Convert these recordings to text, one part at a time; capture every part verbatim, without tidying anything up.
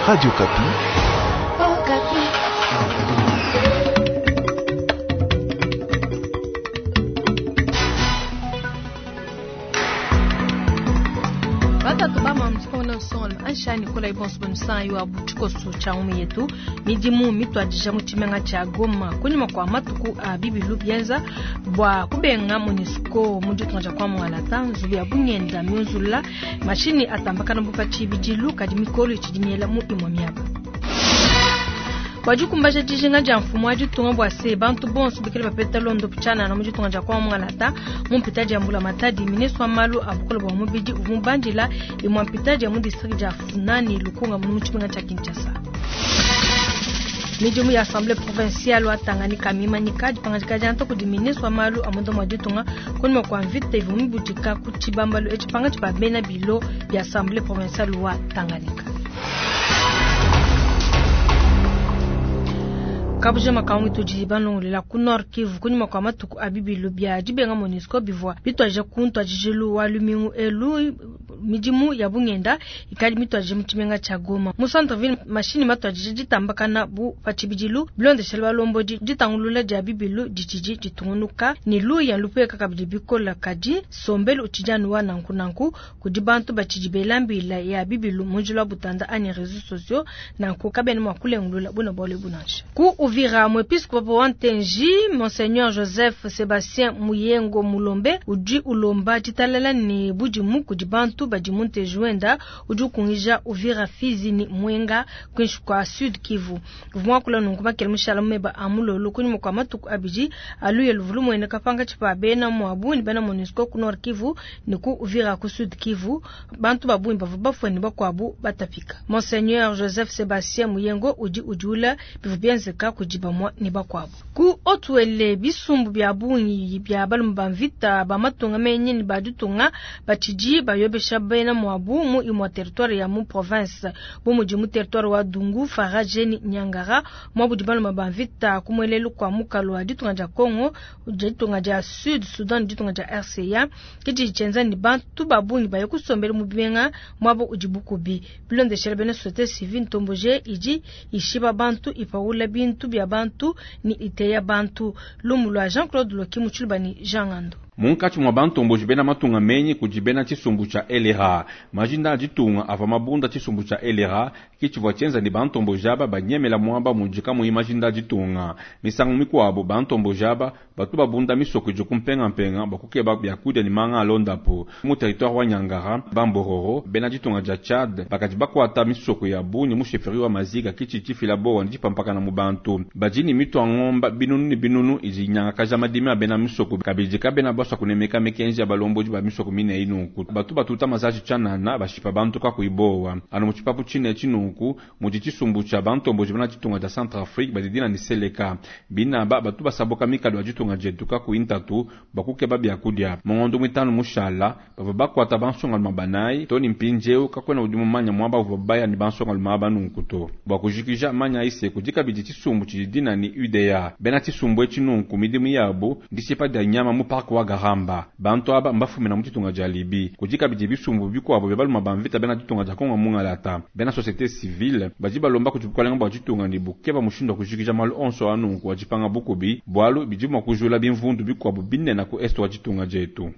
Radio Okapi. Okapi. Batatu bama anshani kola ibonso bonusanyo wa butshikoso tsha umu yetu midimu mitwadija mu tshimenga tsha Goma kunyima kwa matuku a bibilu bienza bua kubenga MONUSCO mu ditunga dia kwa Mwangalata nzubu ya bungenda miunzula mashini atambakana bupa tshibidilu kadi mikolo itshidi miela mu imue miaba. Bua dijinga dia mfumu wa ditunga bua se bantu bonso bikale bapeta londo tshianana mu ditunga dia kwa Mwangalata mu mpita dia mbula matadi ministre wa malu a bukole bua mubidi uvua mubandila imue mpita dia mu district dia Funani Lukunga mu tshimenga tshia Kinshasa. Midimu ya assemblée provinciale wa Tanganyika mimanyika dipangadika dia nto kudi ministre wa malu a munda mua ditunga kunyima kua mvita ivua mibudika ku tshibambalu etshi pangatshi pa bena bilo bia assemblée provinciale wa Tanganyika. Kabuja makangu tudi banongolela ku Nord Kivu kunyima kwa matuku a bibilu bia dibenga MONUSCO bivua bitwaje ku ntwajijilu wa lumingu elu midimu ya bungenda ikali mitwaje mu tshimenga tsha Goma mu centre ville mashini matwajije ditambakana bu pa tshibidilu bilondeshela balombodi ditangulula dia bibilu ditshidi ditungunuka ni luya lupeka kabidi bikola kadi sombelu utshidi wa nanku nanku kudi bantu batshidi belambila ya bibilu mu njila wa butanda ani réseaux sociaux nanku kabene mua kulengulula buna bualu bunansha ku Uvira mwepiskopo wa Ntenji Monseigneur Joseph Sebastien Muyengo Mulombe udi ulomba ditalala ni budimu kudi bantu badi mu Ntenji wenda udi ukungija Uvira Fizi ni Mwenga kwinshi kwa Sud Kivu vumwa nunku makele mushala meba amulolo kunyuma kwa matuku abidi aluye luvulu mwene kapanga tshipa bena mwabu ni bena MONUSCO ku Nord Kivu ni ku Uvira ku Sud Kivu bantu babungi bavua bafue ni bakuabu batapika Monseigneur Joseph Sebastien Muyengo udi udiula bivu bienzeka kudi bamwa ni bakuabu ku otwele bisumbu bia bungi bia balume ba mvita ba matunga menye ni baditunga batshidi bayobesha bena mwabu mu imua territoire ya mu province bu mudi mu territoire wa Dungu Faraje ni Nyangara mwabu di balume ba mvita kumwelelu kwa mukalo wa ditunga dia Congo ditunga dia Sud Sudan ditunga dia R C A kidi tshenza ni bantu babungi baye kusombela mu bimenga mwabu udi bukubi bilondeshela bena société civile ntomboje idi ishiba bantu ipaula bintu bia bantu ni iteya bantu lumu lwa Jean-Claude Loki mu ni Jean Ngando. Munkatshi mwa bantomboji bena matunga menyi kudi bena tshisumbu tsha L R A majinda a ditunga ava mabunda tshisumbu tsha L R A kitshivua tshienza ni bantomboji aba banyemela mwaba mudi kamuyi majinda a ditunga misangu mikuabu bantomboji aba batu babunda misoko idi kumpengampenga bakukeba biakudia ni manga alondapo mu territoire wa Nyangara bambororo bena ditunga dia Tchad bakadi bakuata misoko ya bungi mu chefferie wa Maziga kitshi tshifila bowa ndi pampakana mu bantu badi ni mitu ya ngomba binunu ni binunu idi nyangakaja madimi a bena misoko kabidi kabena baswa kunemeka mikenji ya balombodi ba misoko mine inunku batu batuta mazaji tshanana bashipa bantu kakuibowa anu mutshipapu tshine tshinunku mudi tshisumbu tsha bantomboji bena ditunga dia Centrafrique badidina ni Seleka binaba batu basaboka mikalo ya ditunga dietu kakuintatu bakukeba biakudia mongondo mwitanu mushala bava bakwata bansongaluma banayi to ni mpindieu kakwena udi mumanya mwaba uvua baya ni bansongaluma aba nunku to bua kujikija manya ise kudi kabidi tshisumbu tshididina ni U D A bena tshisumbu etshi nunku midimu yabu ndishipa dia nyama mu park wa Garamba bantu aba mbafumina mu ditunga dia Libi kudi kabidi bisumbu bikuabo bia baluma ba mvita bena ditunga dia Kongo mungalata bena société civile badi balomba kudi bukalenga bua ditunga ni bukeba mushindu wa kujikija malu onso anunku wa dipanga bukubi bualu bidi mua kujula bimvundu bikuabo binene ku est wa ditunga dietu.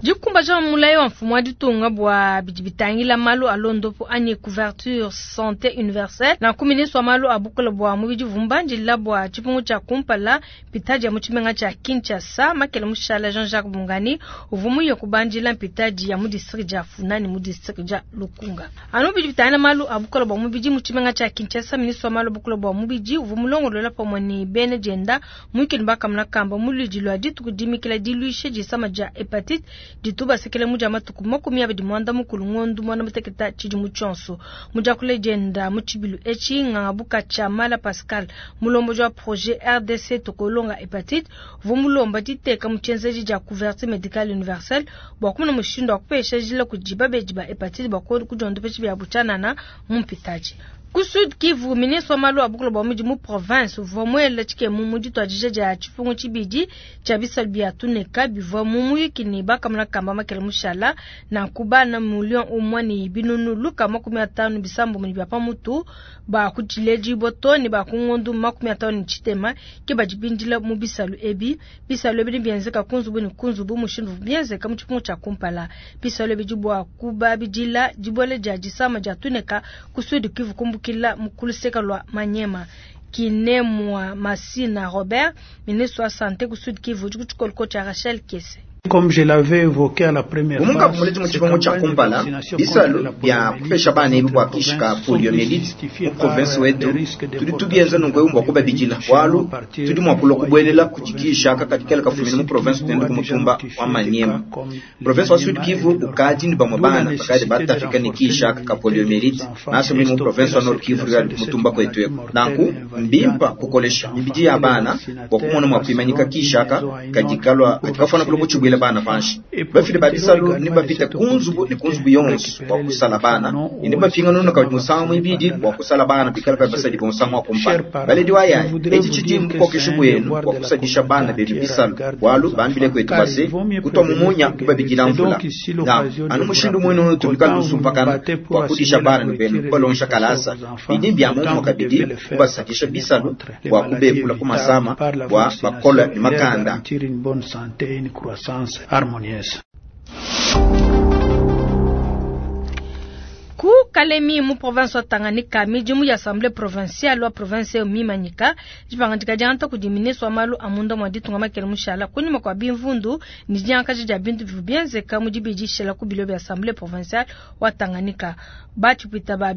Dikumbaja mulayi wa mfumu wa ditunga bua bidi bitangila malu a londopo anyi couverture santé universelle nanku ministre wa malu a bukole bua mubidi vumbandila bua tshipungu tshia kumpala mpitadi ya mu tshimenga tshia Kinshasa makele mushala Jean-Jacques Bungani uvua muye kubandila mpitadi ya mu district dia Funani mu district dia Lukunga anu bidi bitangila malu a bukole bua mubidi mu tshimenga tshia Kinshasa ministre wa malu a bukole bua mubidi uvua mulongolola pamue ne bena dienda muikile bakamuna kamba mu ludi lua dituku dimikila diluisha disama dia hepatite dituba sekele muja matuku makumi abidi mwanda mukulu ngondu mwana muteketa tshidi mu tshonso muja kule dienda mu tshibilu etshi nganga tshia Mala Pascal mulomboji wa projet R D C tokolonga hepatite vumulomba diteka mu tshienzedi dia couverture médicale universelle bua kumona mushindu wa kupesha jila kudi babedi ba hepatite bua kudiondopa bia butshanana mu mpitaji. Ku Sud Kivu, ministre wa malu a bukulu bwa mudi mu province uvua muele tshikemu mu dituadija dia tshipungu tshibidi tshia bisalu bia tuneka bivua mu muyuki ne bakamuna kamba makele mushala na kubana million umwe ne binunu luka makumi atanu bisambo mu bya pamutu ba kutshileji boto ne ba kungondu makumi atanu tshitema ke badibindila mu bisalu ebi. Bisalu ebi bienzeka kunzubu ne kunzubu mushindu bienzeka mu tshipungu tshia kumpala. Bisalu ebi dibwa kubabidila dibwele dia disama dia tuneka ku Sud Kivu kumbukila mukuluseka lwa Manyema. Kinemwa Masina Robert, ministre wa santé ku Sud Kivu, kutshikoloko tshia Rachel Kese. Comme je l'avais évoqué à la première Umunga kumuleti mu tshipungu tshia kumpala bisalu bya kupesha bana ebi bua kishika poliomyélite mu province wetu tudi tubienza nungu ewu mbua kubabidila bwalu tudi mua kulua kubuelela kudikisha kakatikela kafumina mu province tuende ku mutumba wa Maniema. Province wa Sud Kivu ukadi ni bamwe bana bakadi batafika ni kishaka ka poliomyélite naso mu province wa Nord Kivu ya mutumba kwetu eko nanku mbimpa kukolesha mibidi ya bana bua kumona mua kuimanyika kishaka kadikalwa katikafana kulo kuchibwela bana panshi bafile babisalu ni bapita kunzubu ni kunzubu yonso bua kusala bana ni bapinga nono ka musangu ibidi bua kusala bana bikala pa basadi musangu wa kumpala baledi wa yaya eci chidi mukokesha bwenu bua kusadisha bana bebi bisalu bwalu bambile kwetu base kutwa mumunya kubabikila mvula na anu mushindu mwenu tubikala kusumpakana bua kudisha bana ni benu balongesha kalasa bidi bya mumu kabidi kubasadisha bisalu bua kubepula kumasama bua bakola ni makanda. Harmonieuse. Ku Kalemi mu province wa Tanganyika midimu ya assemblée provinciale wa province mimanyika dipangandika dianta kudi ministre wa malu amunda mwa ditunga makele mushala kunyuma kwa bimvundu ni diankaji dia bintu bivu bienzeka mu dibidishila ku bilo bya assemblée provinciale wa Tanganyika batshipita ba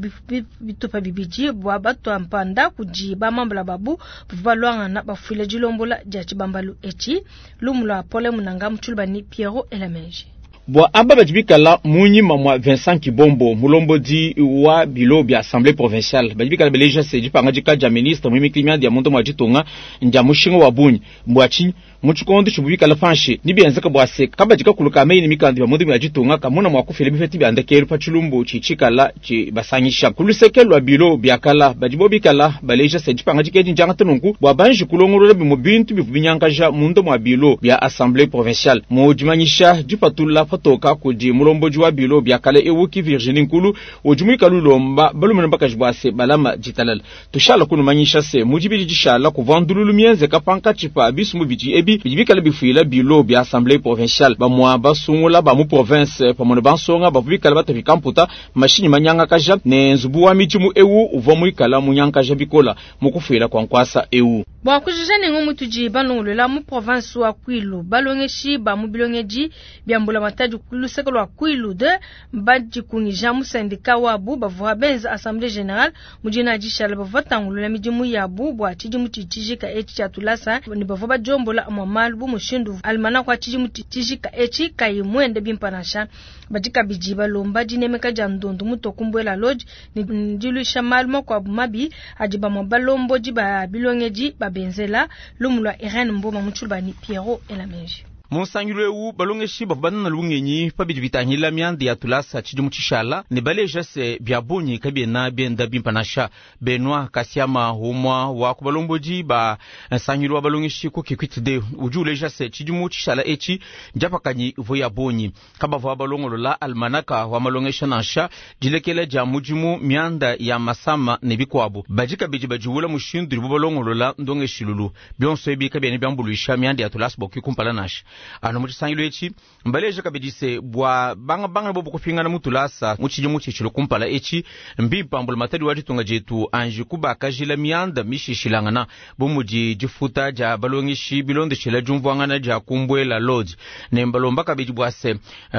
bitupa bibidi bwa batwa mpanda kudi bamambula babu balwangana bafuile dilombola dia tshibambalu eci lumula pole munanga mutshulubani Pierrot Elamenji. Bwa aba badibikala munyima mwa Vincent Kibombo mulombodi wa bilo bya assemblée provinciale badibikala beleja se dipanga dika ministre mwimikili dia mundu mwa ditunga ndia mushinga wa bunyi mbwachi muchikondo chibubikala panshi nibienzeka bwa se kabadika kuluka meyi mikandi ya mundu mwa ditunga kamuna mwa kufile bifeti bya ndekelu pa chilumbu chichikala chi basanyisha kuluseke lwa bilo byakala badibobikala baleja se dipanga dika njanga tununku bwa banji kulongolola bimu bintu bivubinyankaja mundu mwa bilo bya assemblée provinciale mujimanyisha dipatula toka kudi mulomboji wa bilo byakale ewuki Virginie Nkulu ujumuika lulomba balumene bakajibwase balama jitalala tushala kunumanyisha se mujibili jishala kuvandululu mienze kapanka chipa bisumu biji ebi bidibikala bifuila bilo bya assemblée provinciale bamwa basungula ba mu province pamone bansonga bavubikala batafika mputa mashini manyanga kaja ne nzubu wa mijimu ewu uvwa muikala munyankaja bikola mukufuila kwa nkwasa ewu. Bwa kujija nengo mutuji balongolela mu province wa Kwilu balongeshi ba mu bilongeji byambula matadi kuluseka lwa Kwilu de badikungija mu syndicat wabu bavua benza assemblée générale mujina jishala bavua tangulula midimu yabu bwa tshidimu tshijika eci tshia tulasa ne bavua bajombola mwa malu bu mushindu almana kwa tshidimu tshijika eci kayi mwende bimpanasha badikabidi balomba dinemeka dia ndondu mutokumbuela lodge ni ndilusha malu makwabu mabi adi bamwa balombodi ba bilongeji babenzela lumulwa Irene Mboma mutshulubani Pierrot Elamenji. Munsangilo ewu balongeshi bavua banana lungenyi pabidi bitangila mianda ya tulasa tshidimu tshishala ne baleja se bya bungi kabiena bienda bimpanasha. Benoit Kasiama umwa wa ku balombodi ba nsangilo wa balongeshi ku Kikwit udi uleja se tshidimu tshishala etshi ndiapakanyi ivua ya bungi kabavua balongolola almanaka wa malongesha nansha dilekela dia mudimu mianda ya masama ne bikuabu badi kabidi badiwula mushindu dibu balongolola ndongeshilulu bionso ebi kabiena biambuluisha mianda ya tulasa bua kumpala nansha. Ano mutshisangilo etshi mbaleja kabidi se bwa banga banga bobo kupingana mutulasa mutshidimu tshitshilo kumpala etshi mbipambula matadi wa ditunga dietu anji kubakajila mianda mishishilangana bumudi difuta dia balongeshi bilondeshela diumvuangana dia kumbuela lodge ne mbalomba kabidi bwa se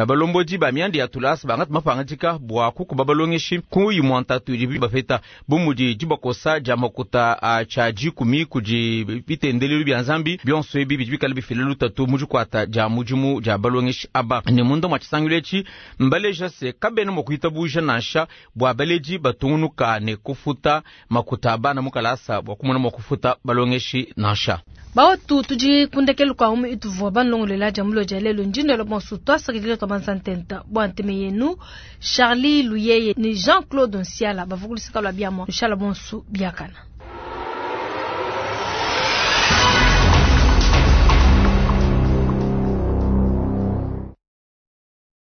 balombodi ba mianda ya tulasa bangati mapangadika bwa kukuba balongeshi kuyi mwantatu idi bapeta bumudi dibakosa dia makuta a tshia dikumi kudi bitendelelu bia nzambi bionso ebi bidi bikala bifile lutatu mu dikuata dikuata dia mudimu dia balongeshi aba. Ne munda mua tshisangilu etshi mbaleja se kabena mua kuitabuja nansha bua baledi batungunuka ne kufuta makuta a bana mu kalasa bua kumona mua kufuta balongeshi nansha. Bawatu tudi kundekelu kwa umu ituvua banlongolela dia mulo dia lelo ndindelo bonso twasakidila twa bansantenta bua nteme yenu Charlie Luyeye ni Jean-Claude Nsiala bavukulisika lwa biamwa lushala bonso biakana.